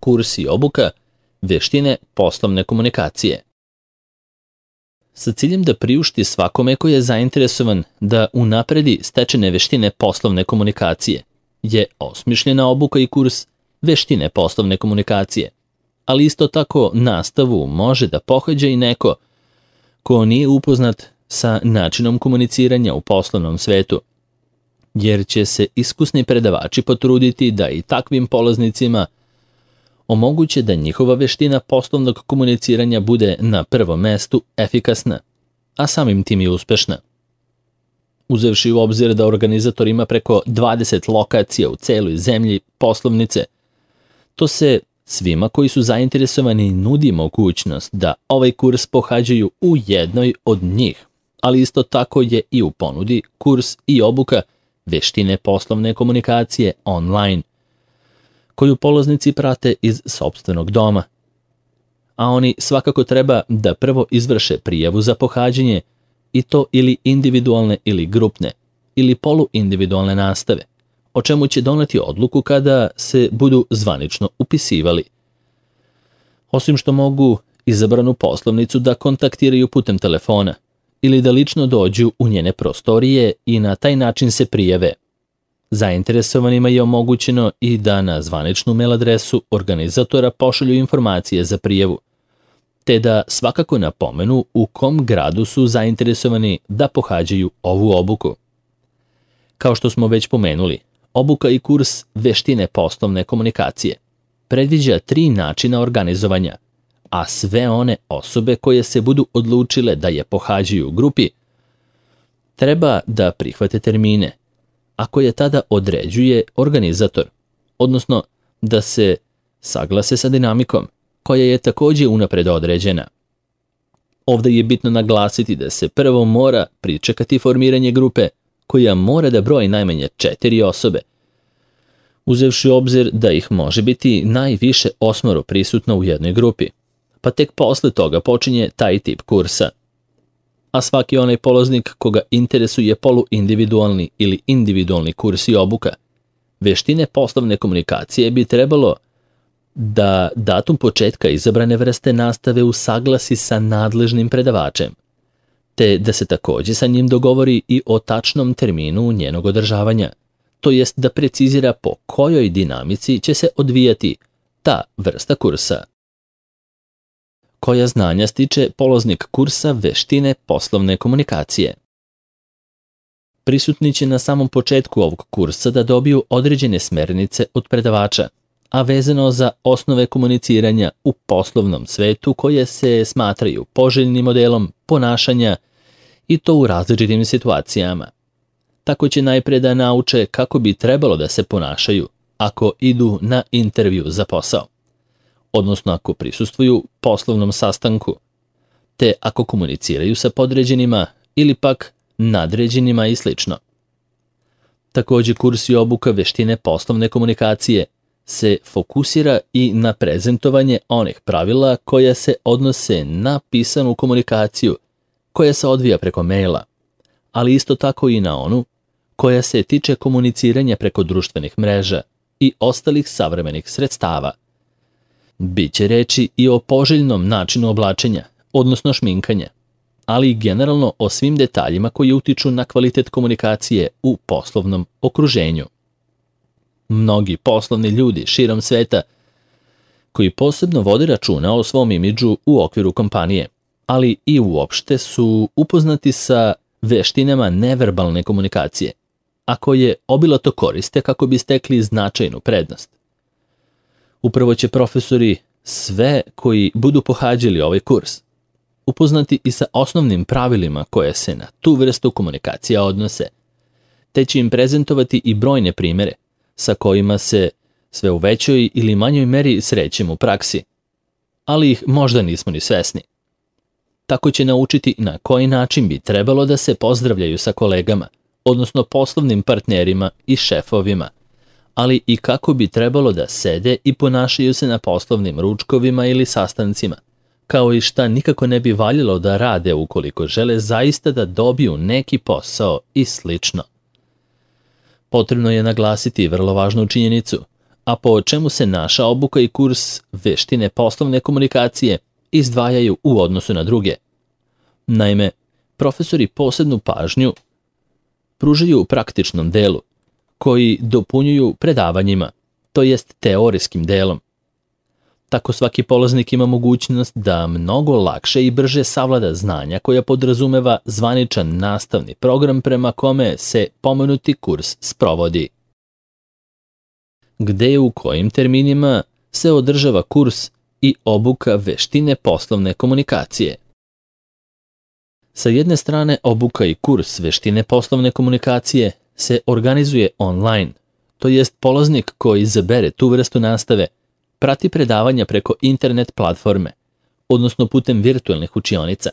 kurs i obuka veštine poslovne komunikacije. Sa ciljem da priušti svakome koji je zainteresovan da unapredi stečene veštine poslovne komunikacije je osmišljena obuka i kurs veštine poslovne komunikacije, ali isto tako nastavu može da pohađa i neko ko nije upoznat sa načinom komuniciranja u poslovnom svetu, jer će se iskusni predavači potruditi da i takvim polaznicima omoguće da njihova veština poslovnog komuniciranja bude na prvom mestu efikasna, a samim tim i uspešna. Uzevši u obzir da organizator ima preko 20 lokacija u celoj zemlji poslovnice, to se svima koji su zainteresovani nudi mogućnost da ovaj kurs pohađaju u jednoj od njih, ali isto tako je i u ponudi kurs i obuka veštine poslovne komunikacije online, koju polaznici prate iz sopstvenog doma. A oni svakako treba da prvo izvrše prijavu za pohađanje, i to ili individualne ili grupne, ili poluindividualne nastave, o čemu će doneti odluku kada se budu zvanično upisivali. Osim što mogu izabranu poslovnicu da kontaktiraju putem telefona ili da lično dođu u njene prostorije i na taj način se prijave. Zainteresovanima je omogućeno i da na zvaničnu mail adresu organizatora pošalju informacije za prijavu, te da svakako napomenu u kom gradu su zainteresovani da pohađaju ovu obuku. Kao što smo već pomenuli, obuka i kurs veštine poslovne komunikacije predviđa 3 načina organizovanja, a sve one osobe koje se budu odlučile da je pohađaju u grupi treba da prihvate termine, a koje tada određuje organizator, odnosno da se saglase sa dinamikom, koja je takođe unapred određena. Ovde je bitno naglasiti da se prvo mora pričekati formiranje grupe, koja mora da broji najmanje 4 osobe, uzevši u obzir da ih može biti najviše 8 prisutno u jednoj grupi, pa tek posle toga počinje taj tip kursa. A svaki onaj polaznik koga interesuje poluindividualni ili individualni kurs i obuka veštine poslovne komunikacije bi trebalo da datum početka izabrane vrste nastave usaglasi sa nadležnim predavačem, te da se takođe sa njim dogovori i o tačnom terminu njenog održavanja, to jest da precizira po kojoj dinamici će se odvijati ta vrsta kursa. Koja znanja stiče polaznik kursa veštine poslovne komunikacije? Prisutni će na samom početku ovog kursa da dobiju određene smernice od predavača, a vezano za osnove komuniciranja u poslovnom svetu koje se smatraju poželjnim modelom ponašanja i to u različitim situacijama. Tako će najpre da nauče kako bi trebalo da se ponašaju ako idu na intervju za posao, odnosno ako prisustvuju poslovnom sastanku, te ako komuniciraju sa podređenima ili pak nadređenima i sl. Takođe, kurs i obuka veštine poslovne komunikacije se fokusira i na prezentovanje onih pravila koja se odnose na pisanu komunikaciju koja se odvija preko maila, ali isto tako i na onu koja se tiče komuniciranja preko društvenih mreža i ostalih savremenih sredstava. Biće reči i o poželjnom načinu oblačenja, odnosno šminkanja, ali i generalno o svim detaljima koji utiču na kvalitet komunikacije u poslovnom okruženju. Mnogi poslovni ljudi širom sveta koji posebno vode računa o svom imidžu u okviru kompanije, ali i uopšte su upoznati sa veštinama neverbalne komunikacije, a koje obilato koriste kako bi stekli značajnu prednost. Upravo će profesori sve koji budu pohađali ovaj kurs upoznati i sa osnovnim pravilima koje se na tu vrstu komunikacija odnose, te će im prezentovati i brojne primere sa kojima se sve u većoj ili manjoj meri srećemo u praksi, ali ih možda nismo ni svesni. Tako će naučiti na koji način bi trebalo da se pozdravljaju sa kolegama, odnosno poslovnim partnerima i šefovima, ali i kako bi trebalo da sede i ponašaju se na poslovnim ručkovima ili sastancima, kao i šta nikako ne bi valjalo da rade ukoliko žele zaista da dobiju neki posao i slično. Potrebno je naglasiti vrlo važnu činjenicu, a po čemu se naša obuka i kurs veštine poslovne komunikacije izdvajaju u odnosu na druge. Naime, profesori posebnu pažnju pružaju u praktičnom delu, koji dopunjuju predavanjima, to jest teorijskim delom. Tako svaki polaznik ima mogućnost da mnogo lakše i brže savlada znanja koja podrazumeva zvaničan nastavni program prema kome se pomenuti kurs sprovodi. Gde i u kojim terminima se održava kurs i obuka veštine poslovne komunikacije. Sa jedne strane, obuka i kurs veštine poslovne komunikacije se organizuje online, to jest polaznik koji izabere tu vrstu nastave prati predavanja preko internet platforme, odnosno putem virtualnih učionica.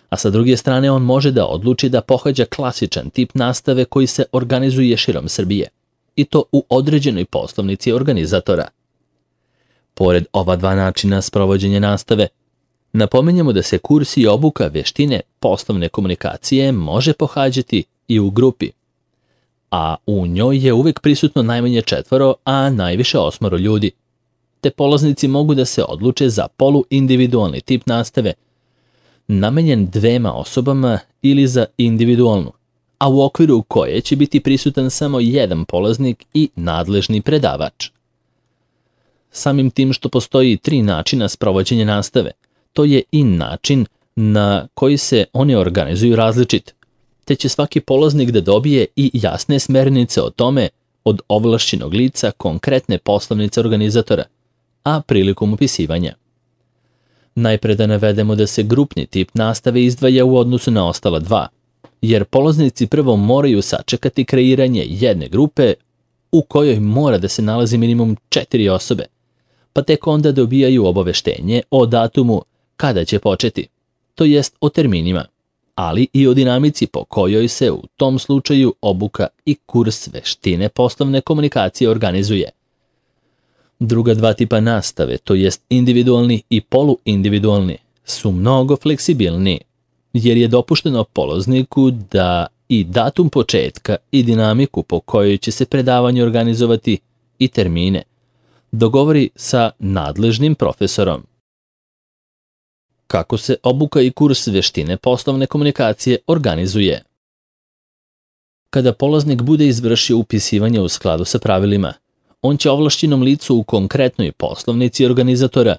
A sa druge strane, on može da odluči da pohađa klasičan tip nastave koji se organizuje širom Srbije, i to u određenoj poslovnici organizatora. Pored ova dva načina sprovođenja nastave, napominjemo da se kurs i obuka veštine poslovne komunikacije može pohađati i u grupi, a u njoj je uvek prisutno najmanje 4, a najviše 8 ljudi, te polaznici mogu da se odluče za poluindividualni tip nastave, namenjen 2 osobama ili za individualnu, a u okviru koje će biti prisutan samo jedan polaznik i nadležni predavač. Samim tim što postoji 3 načina sprovođenja nastave, to je i način na koji se one organizuju različit, te će svaki polaznik da dobije i jasne smernice o tome od ovlašćenog lica konkretne poslovnice organizatora, a prilikom upisivanja. Najpre da navedemo da se grupni tip nastave izdvaja u odnosu na ostala 2, jer polaznici prvo moraju sačekati kreiranje jedne grupe u kojoj mora da se nalazi minimum 4 osobe, pa tek onda dobijaju obaveštenje o datumu kada će početi, to jest o terminima, ali i o dinamici po kojoj se u tom slučaju obuka i kurs veštine poslovne komunikacije organizuje. Druga 2 tipa nastave, to jest individualni i poluindividualni, su mnogo fleksibilniji, jer je dopušteno polazniku da i datum početka i dinamiku po kojoj će se predavanje organizovati i termine dogovori sa nadležnim profesorom. Kako se obuka i kurs veštine poslovne komunikacije organizuje? Kada polaznik bude izvršio upisivanje u skladu sa pravilima, on će ovlašćenom licu u konkretnoj poslovnici organizatora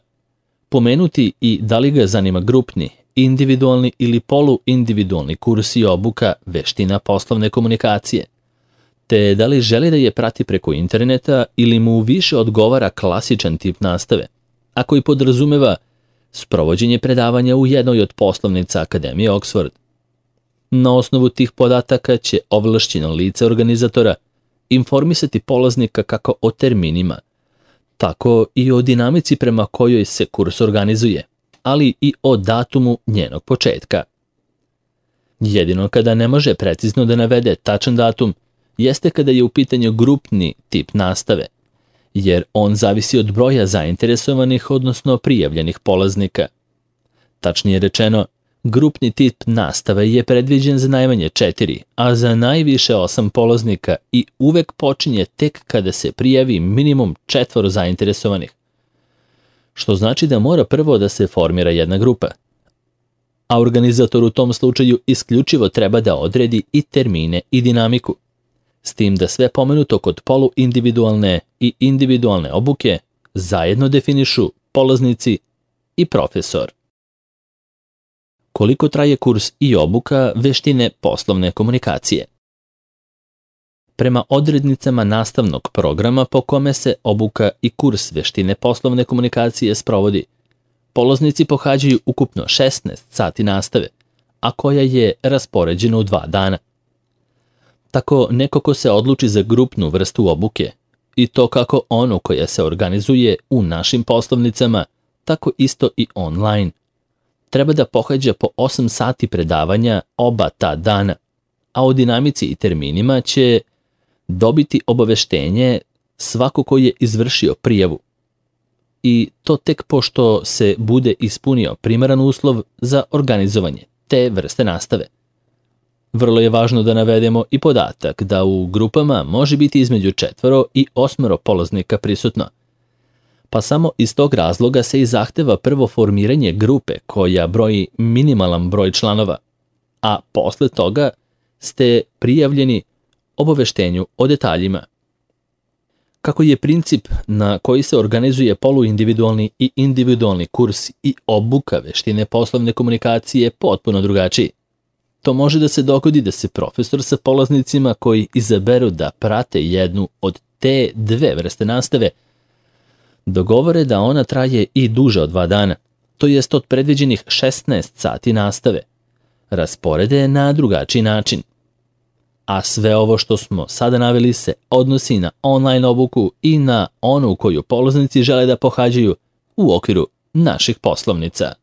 pomenuti i da li ga zanima grupni, individualni ili poluindividualni kurs i obuka veština poslovne komunikacije, te da li želi da je prati preko interneta ili mu više odgovara klasičan tip nastave, a koji podrazumeva sprovođenje predavanja u jednoj od poslovnica Akademije Oxford. Na osnovu tih podataka će ovlašćeno lice organizatora informisati polaznika kako o terminima, tako i o dinamici prema kojoj se kurs organizuje, ali i o datumu njenog početka. Jedino kada ne može precizno da navede tačan datum jeste kada je u pitanju grupni tip nastave, jer on zavisi od broja zainteresovanih, odnosno prijavljenih polaznika. Tačnije rečeno, grupni tip nastave je predviđen za najmanje 4, a za najviše 8 polaznika i uvek počinje tek kada se prijavi minimum 4 zainteresovanih, što znači da mora prvo da se formira jedna grupa, a organizator u tom slučaju isključivo treba da odredi i termine i dinamiku, s tim da sve pomenuto kod poluindividualne i individualne obuke zajedno definišu polaznici i profesor. Koliko traje kurs i obuka veštine poslovne komunikacije? Prema odrednicama nastavnog programa po kome se obuka i kurs veštine poslovne komunikacije sprovodi, polaznici pohađaju ukupno 16 sati nastave, a koja je raspoređena u 2 dana. Tako neko ko se odluči za grupnu vrstu obuke, i to kako onu koja se organizuje u našim poslovnicama, tako isto i online, treba da pohađa po 8 sati predavanja oba ta dana, a o dinamici i terminima će dobiti obaveštenje svako ko je izvršio prijavu. I to tek pošto se bude ispunio primaran uslov za organizovanje te vrste nastave. Vrlo je važno da navedemo i podatak da u grupama može biti između 4 i 8 polaznika prisutno. Pa samo iz tog razloga se i zahteva prvo formiranje grupe koja broji minimalan broj članova, a posle toga ste prijavljeni obaveštenju o detaljima. Kako je princip na koji se organizuje poluindividualni i individualni kurs i obuka veštine poslovne komunikacije potpuno drugačiji. To može da se dogodi da se profesor sa polaznicima koji izaberu da prate jednu od te dve vrste nastave dogovore da ona traje i duže od 2 dana, to jest od predviđenih 16 sati nastave, rasporede na drugačiji način. A sve ovo što smo sada naveli se odnosi na online obuku i na onu koju polaznici žele da pohađaju u okviru naših poslovnica.